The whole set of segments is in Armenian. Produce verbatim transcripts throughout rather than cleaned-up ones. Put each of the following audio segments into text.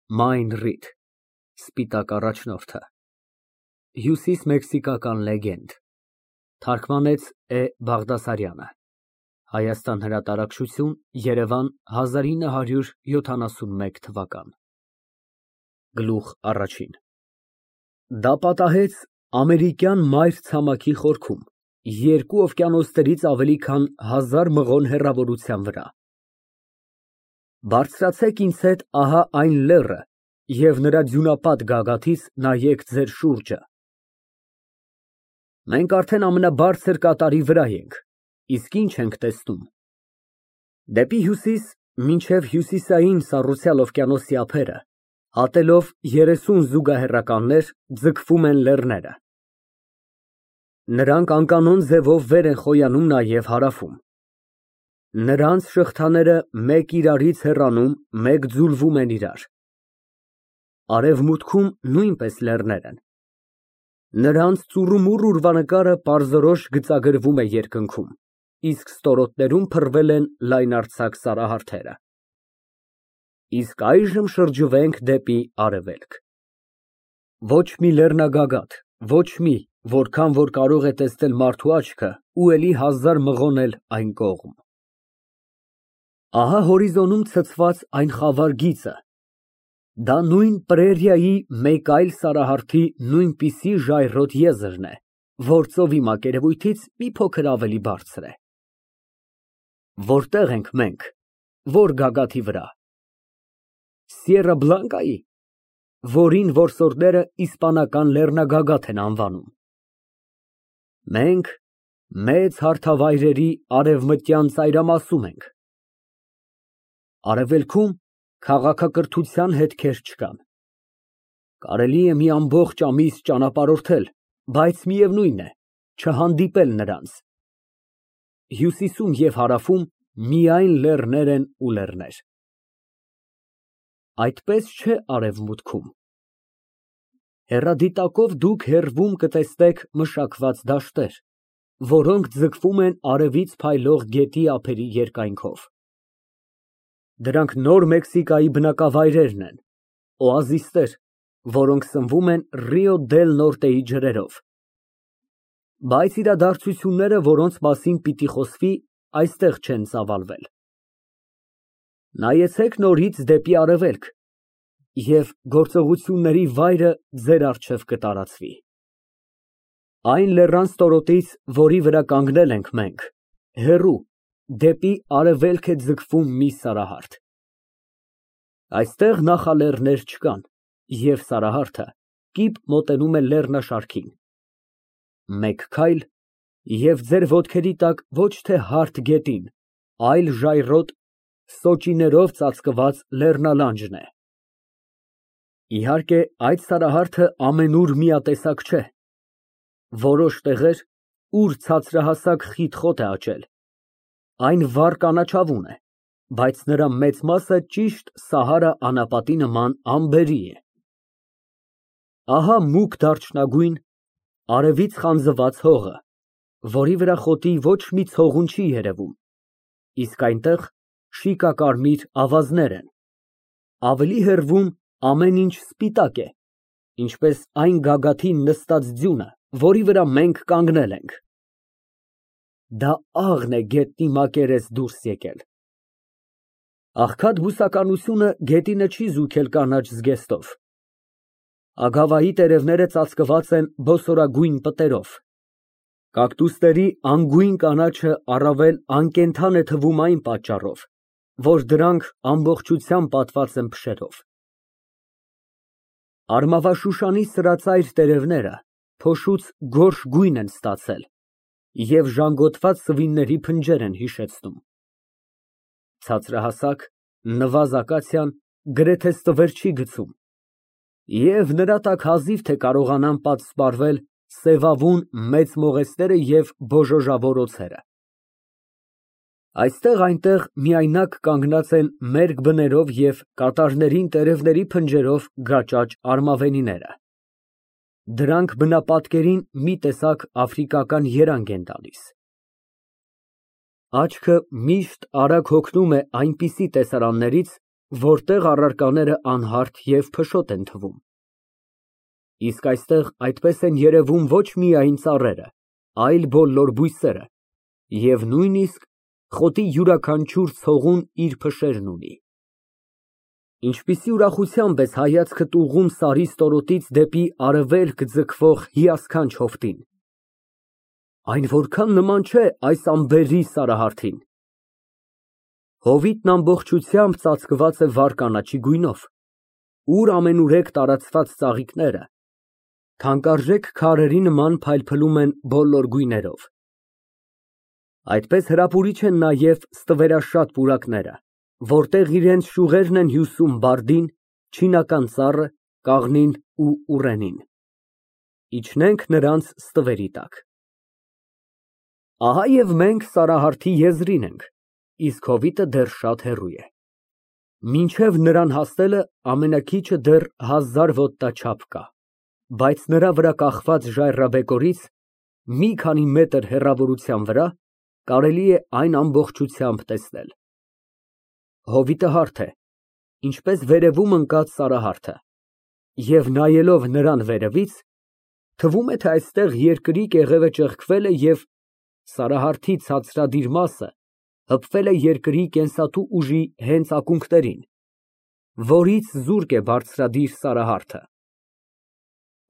Մայն Ռիդ, Սպիտակ առաջնորդը, Հյուսիսմեքսիկական լեգենդ, թարգմանեց Է. Բաղդասարյանը, Հայաստան հրատարակչություն, Երևան, հազար ինը հարյուր յոթանասունմեկ թվական։ Գլուխ առաջին Դա պատահեց ամերիկյան մայր ցամաքի խորքում, երկու օվկիանոսներից ավելի քան հազար մղոն հեռավորության վրա։ Բարձրացեք ինձ հետ ահա այն լեռը և նրա ձյունապատ գագաթից նայեք ձեր շուրջը։ Մենք արդեն ամենաբարձր կատարի վրա ենք, իսկ ինչ ենք տեսնում։ Դեպի հյուսիս, մինչև հյուսիսային Սառուցյալ օվկիանոսի ափերը, հատելով երեսուն զուգահեռականներ, ձգվում են լեռները։ Նրանք անկանոն ձևով վեր են խոյանում նաև հարավում։ Նրանց շղթաները մեկ իրարից հեռանում, մեկ ձուլվում են իրար։ Արևմուտքում նույնպես լեռներ են։ Նրանց ծուռումուռ ուրվանկարը պարզորոշ գծագրվում է երկնքում, իսկ ստորոտներում փռվել են լայնարձակ սարահարթերը։ Իսկ այժմ շրջվենք դեպի արևելք։ Ոչ մի լեռնագագաթ, ոչ մի, որքան որ կարող է տեսնել մարդու աչքը ու էլի հազար մղոն էլ այն կողմ։ Ահա հորիզոնում ցցված այն խավար գիծը։ Դա նույն պրերիայի մեկ այլ սարահարթի նույնպիսի ժայռոտ եզրն է, որ ծովի մակերևույթից մի փոքր ավելի բարձր է։ Որտե՞ղ ենք մենք, որ գագաթի վրա։ Սիերա Բլանկայի, որին որսորդները իսպանական լեռնագագաթ են անվանում։ Մենք մեծ հարթավայրերի արևմտյան ծայրամասում ենք։ Արևելքում քաղաքակրթության հետքեր չկան։ Կարելի է մի ամբողջ ամիս ճանապարհորդել, բայց միևնույն է, չհանդիպել նրանց։ Հյուսիսում և հարավում միայն լեռներ են ու լեռներ։ Այդպես չէ արևմուտքում։ Հեռադիտակով դուք հեռվում կտեսնեք մշակված դաշտեր, որոնք ձգվում են արևից փայլող գետի ափերի երկայնքով։ Դրանք Նոր Մեքսիկայի բնակավայրերն են, օազիսներ, որոնք սնվում են Ռիո դել Նորտեի ջրերով։ Բայց իրադարձությունները, որոնց մասին պիտի խոսվի, այստեղ չեն ծավալվել։ Նայեցեք նորից դեպի արևելք, և գործողությունների վայրը ձեր առջև կտարածվի։ Այն լեռան ստորոտից, որի վրա կանգնել ենք մենք, հեռու, դեպի արևելք է ձգվում մի սարահարթ։ Այստեղ նախալեռներ չկան, և սարահարթը կիպ մոտենում է լեռնաշարքին։ Մեկ քայլ, և ձեր ոտքերի տակ ոչ թե հարթ գետին, այլ ժայռոտ, սոճիներով ծածկված լեռնալանջն է։ Իհարկե, այդ սարահարթը ամենուր միատեսակ չէ։ Որոշ տեղեր, ուր ցածրահասակ խիտ խոտ է աճել, այն վառ կանաչավուն է, բայց նրա մեծ մասը ճիշտ Սահարա անապատի նման ամբերի է։ Ահա մուգ դարչնագույն, արևից խանձված հողը, որի վրա խոտի ոչ մի ցողուն չի երևում, իսկ այնտեղ շիկակարմիր ավազներ են։ Ավելի հեռվում ամեն ինչ սպիտակ է, ինչպես այն գագաթին նստած ձյունը, որի վրա մենք կանգնել ենք։ Դա աղն է գետնի մակերես դուրս եկել։ Աղքատ բուսականությունը գետինը չի զուգել կանաչ զգեստով։ Ագավայի տերևները ծածկված են բոսորագույն պտերով։ Կակտուսների անգույն կանաչը առավել անկենդան է թվում այն պատճառով, որ դրանք ամբողջությամբ պատված են փշերով։ Արմավաշուշանի սրածայր տերևները փոշուց գորշ գույն են ստացել և ժանգոտված սվինների փնջեր են հիշեցնում։ Ցածրահասակ, նվազ ակացիան գրեթե ստվեր չի գցում, և նրա տակ հազիվ թե կարողանան պատսպարվել սևավուն մեծ մողեսները և բոժոժավոր օձերը։ Այստեղ֊այնտեղ միայնակ կանգնած են մերկ բներով և կատարներին տերևների փնջերով գաճաճ արմավենիները։ Դրանք բնապատկերին մի տեսակ աֆրիկական երանգ են տալիս։ Աչքը միշտ արագ հոգնում է այնպիսի տեսարաններից, որտեղ առարկաները անհարթ և փշոտ են թվում։ Իսկ այստեղ այդպես են երևում ոչ միայն ծառերը, այլ բոլոր բույսերը, և նույնիսկ խոտի յուրաքանչյուր ցողուն իր փշերն ունի։ Ինչպիսի ուրախությամբ ես հայացքդ ուղղում սարի ստորոտից դեպի արևելք ձգվող հիասքանչ հովտին։ Այն որքան նման չէ այս անբերրի Սարահարթին։ Հովիտն ամբողջությամբ ծածկված է վառ կանաչի գույնով, ուր ամենուրեք տարածված ծաղիկները թանկարժեք քարերի նման փայլփլում են բոլոր գույներով։ Այդպես հրապուրիչ են նաև ստվերաշատ պուրակները, որտեղ իրենց շյուղերն են հյուսում բարդին, չինական ծառը, կաղնին ու ուռենին։ Իջնենք նրանց ստվերի տակ։ Ահա և մենք Սարահարթի եզրին ենք, իսկ հովիտը դեռ շատ հեռու է։ Մինչև նրան հասնելը ամենաքիչը դեռ հազար ոտնա չափ կա, բայց նրա վրա կախված ժայռաբեկորից մի քանի մետր հեռավորության վրա կարելի է այն ամբողջությամբ տեսնել։ Հովիտը հարթ է, ինչպես վերևում ընկած Սարահարթը, և նայելով նրան վերևից, թվում է, թե այստեղ երկրի կեղևը ճեղքվել է և Սարահարթի ցածրադիր մասը հպվել է երկրի կենսատու ուժի հենց ակունքներին, որից զուրկ է բարձրադիր Սարահարթը։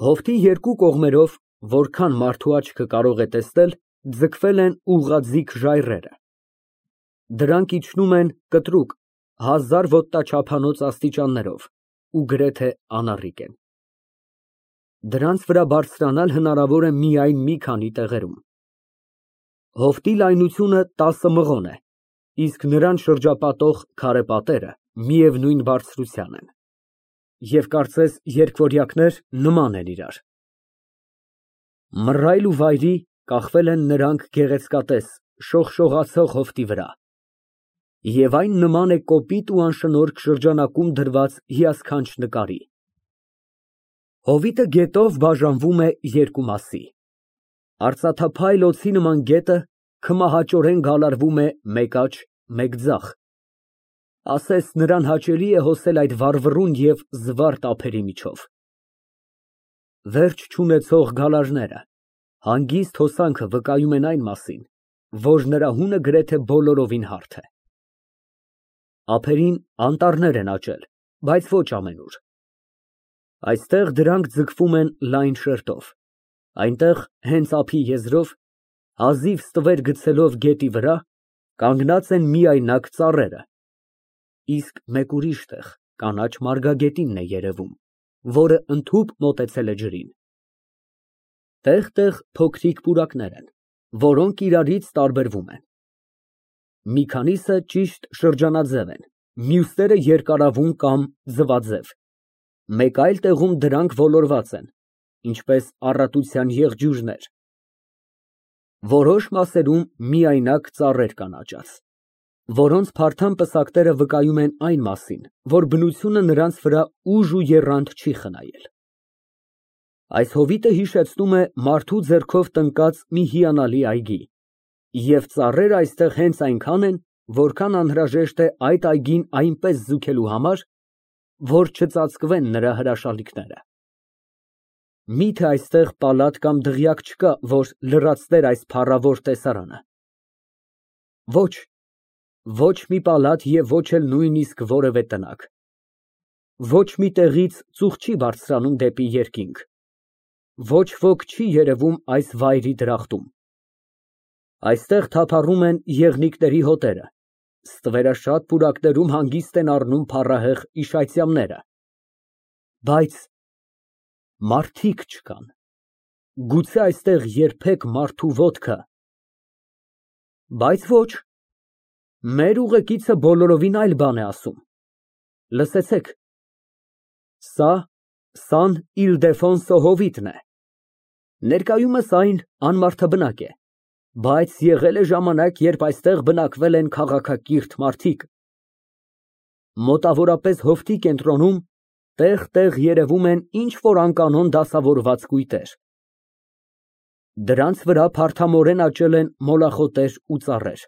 Հովտի երկու կողմերով, որքան մարդու աչքը կարող է տեսնել, ձգվել են ուղղաձիգ ժայռերը։ Դրանք իջնում են կտրուկ, հազար ոտնա չափանոց աստիճաններով ու գրեթե անառիկ են։ Դրանց վրա բարձրանալ հնարավոր է միայն մի քանի տեղերում։ Հովտի լայնությունը տասը մղոն է, իսկ նրան շրջապատող քարե պատերը միևնույն բարձրության են, և կարծես երկվորյակներ նման են իրար։ Մռայլ ու վայրի կախվել են նրանք գեղեցկատես, շողշողացող հովտի վրա, և այն նման է կոպիտ ու անշնորհք շրջանակում դրված հիասքանչ նկարի։ Հովիտը գետով բաժանվում է երկու մասի։ Արծաթափայլ օձի նման գետը քմահաճորեն գալարվում է մեկ աջ, մեկ ձախ, ասես նրան հաճելի է հոսել այդ վառվռուն և զվարթ ափերի միջով։ Վերջ չունեցող գալարները, հանգիստ հոսանքը վկայում են այն մասին, որ նրա հունը գրեթե բոլորովին հարթ է։ Ափերին անտառներ են աճել, բայց ոչ ամենուր։ Այստեղ դրանք ձգվում են լայն շերտով, այնտեղ հենց ափի եզրով, հազիվ ստվեր գցելով գետի վրա, կանգնած են միայնակ ծառերը, իսկ մեկ ուրիշ տեղ կանաչ մարգագետինն է երևում, որը ընդհուպ մոտեցել է ջրին։ Տեղ֊տեղ փոքրիկ պուրակներ են, որոնք իրարից տարբերվում են։ Մի քանիսը ճիշտ շրջանաձև են, մյուսները երկարավուն կամ ձվաձև, մեկ այլ տեղում դրանք ոլորված են, ինչպես առատության եղջյուրներ։ Որոշ մասերում միայնակ ծառեր կան աճած, որոնց փարթամ պսակները վկայում են այն մասին, որ բնությունը նրանց վրա ուժ ու եռանդ չի խնայել։ Այս հովիտը հիշեցնում է մարդու ձեռքով տնկած մի հիանալի այգի, և ծառերը այստեղ հենց այնքան են, որքան անհրաժեշտ է այդ այգին այնպես զուգելու համար, որ չծածկվեն նրա հրաշալիքները։ Մի՞թե այստեղ պալատ կամ դղյակ չկա, որ լրացներ այս փառավոր տեսարանը։ Ոչ, ոչ մի պալատ և ոչ էլ նույնիսկ որևէ տնակ։ Ոչ մի տեղից ծուխ չի բարձրանում դեպի երկինք։ Ոչ ոք չի երևում այս վայրի դրախտում։ Այստեղ թափառում են եղնիկների հոտերը, ստվերաշատ պուրակներում հանգիստ են առնում փառահեղ իշայծյամները, բայց մարդիկ չկան, գուցե այստեղ երբեք մարդու ոտքը։ Բայց ոչ, մեր ուղեկիցը բոլորովին այլ բան է ասում։ Լսեցեք, սա Սան Իլդեֆոնսո հովիտն է։ Ներկայումս այն անմարդաբնակ է, բայց եղել է ժամանակ, երբ այստեղ բնակվել են քաղաքակիրթ մարդիկ։ Մոտավորապես հովտի կենտրոնում տեղ֊տեղ երևում են ինչ֊որ անկանոն դասավորված կույտեր։ Դրանց վրա փարթամորեն աճել են մոլախոտեր ու ծառեր։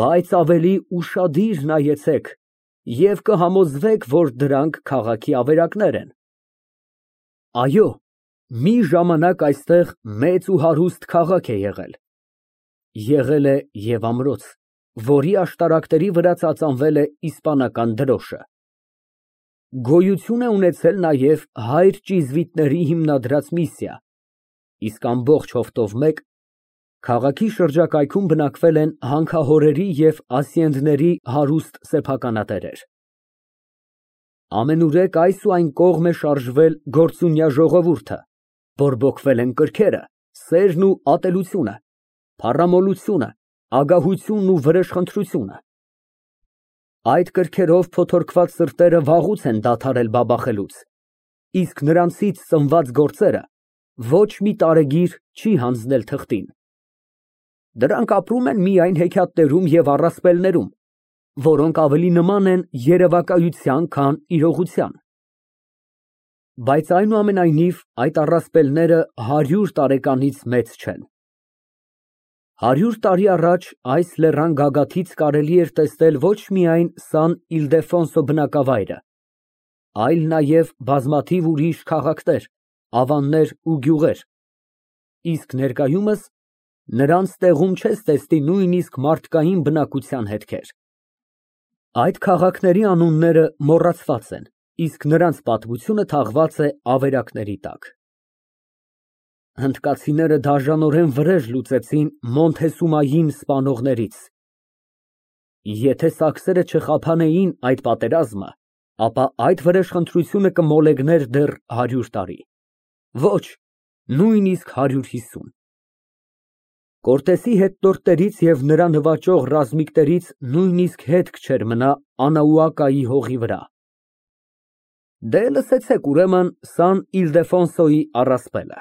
Բայց ավելի ուշադիր նայեցեք, և կհամոզվեք, որ դրանք քաղաքի ավերակներ են։ Այո, մի ժամանակ այստեղ մեծ ու հարուստ քաղաք է եղել։ Եղել է և ամրոց, որի աշտարակների վրա ծածանվել է իսպանական դրոշը։ Գոյություն է ունեցել նաև հայր ճիզվիտների հիմնադրած միսիա, իսկ ամբողջ հովտով մեկ քաղաքի շրջակայքում բնակվել են հանքահորերի և ասիենդների հարուստ սեփականատերեր։ Ամենուրեք այս ու այն կողմ է շարժվել գործունյա ժողովուրդը, բորբոքվել են կրքերը, սերն ու ատելությունը, փառամոլությունը, ագահությունն ու վրեժխնդրությունը։ Այդ կրքերով փոթորկված սրտերը վաղուց են դադարել բաբախելուց, իսկ նրանցից ծնված գործերը ոչ մի տարեգիր չի հանձնել թղթին։ Դրանք ապրում են միայն հեքիաթներում և առասպելներում, որոնք ավելի նման են երևակայության, քան իրողության։ Բայց այնուամենայնիվ, այդ առասպելները հարյուր տարեկանից մեծ չեն։ Հարյուր տարի առաջ այս լեռան գագաթից կարելի էր տեսնել ոչ միայն Սան Իլդեֆոնսո բնակավայրը, այլ նաև բազմաթիվ ուրիշ քաղաքներ, ավաններ ու գյուղեր, իսկ ներկայումս նրանց տեղում չես տեսնի նույնիսկ մարդկային բնակության հետքեր։ Այդ քաղաքների անունները մոռացված են, իսկ նրանց պատմությունը թաղված է ավերակների տակ։ Հնդկացիները դաժանորեն վրեժ լուծեցին Մոնթեսումային սպանողներից։ Եթե սաքսերը չխափանեին այդ պատերազմը, ապա այդ վրեժխնդրությունը կմոլեգներ դեռ հարյուր տարի, ոչ, նույնիսկ հարյուր հիսուն։ Կորտեսի հետնորդներից և նրան նվաճող ռազմիկներից նույնիսկ հետք չէր մնա Անաուակայի հողի վրա։ Դե, լսեցեք ուրեմն Սան Իլդեֆոնսոյի առասպելը։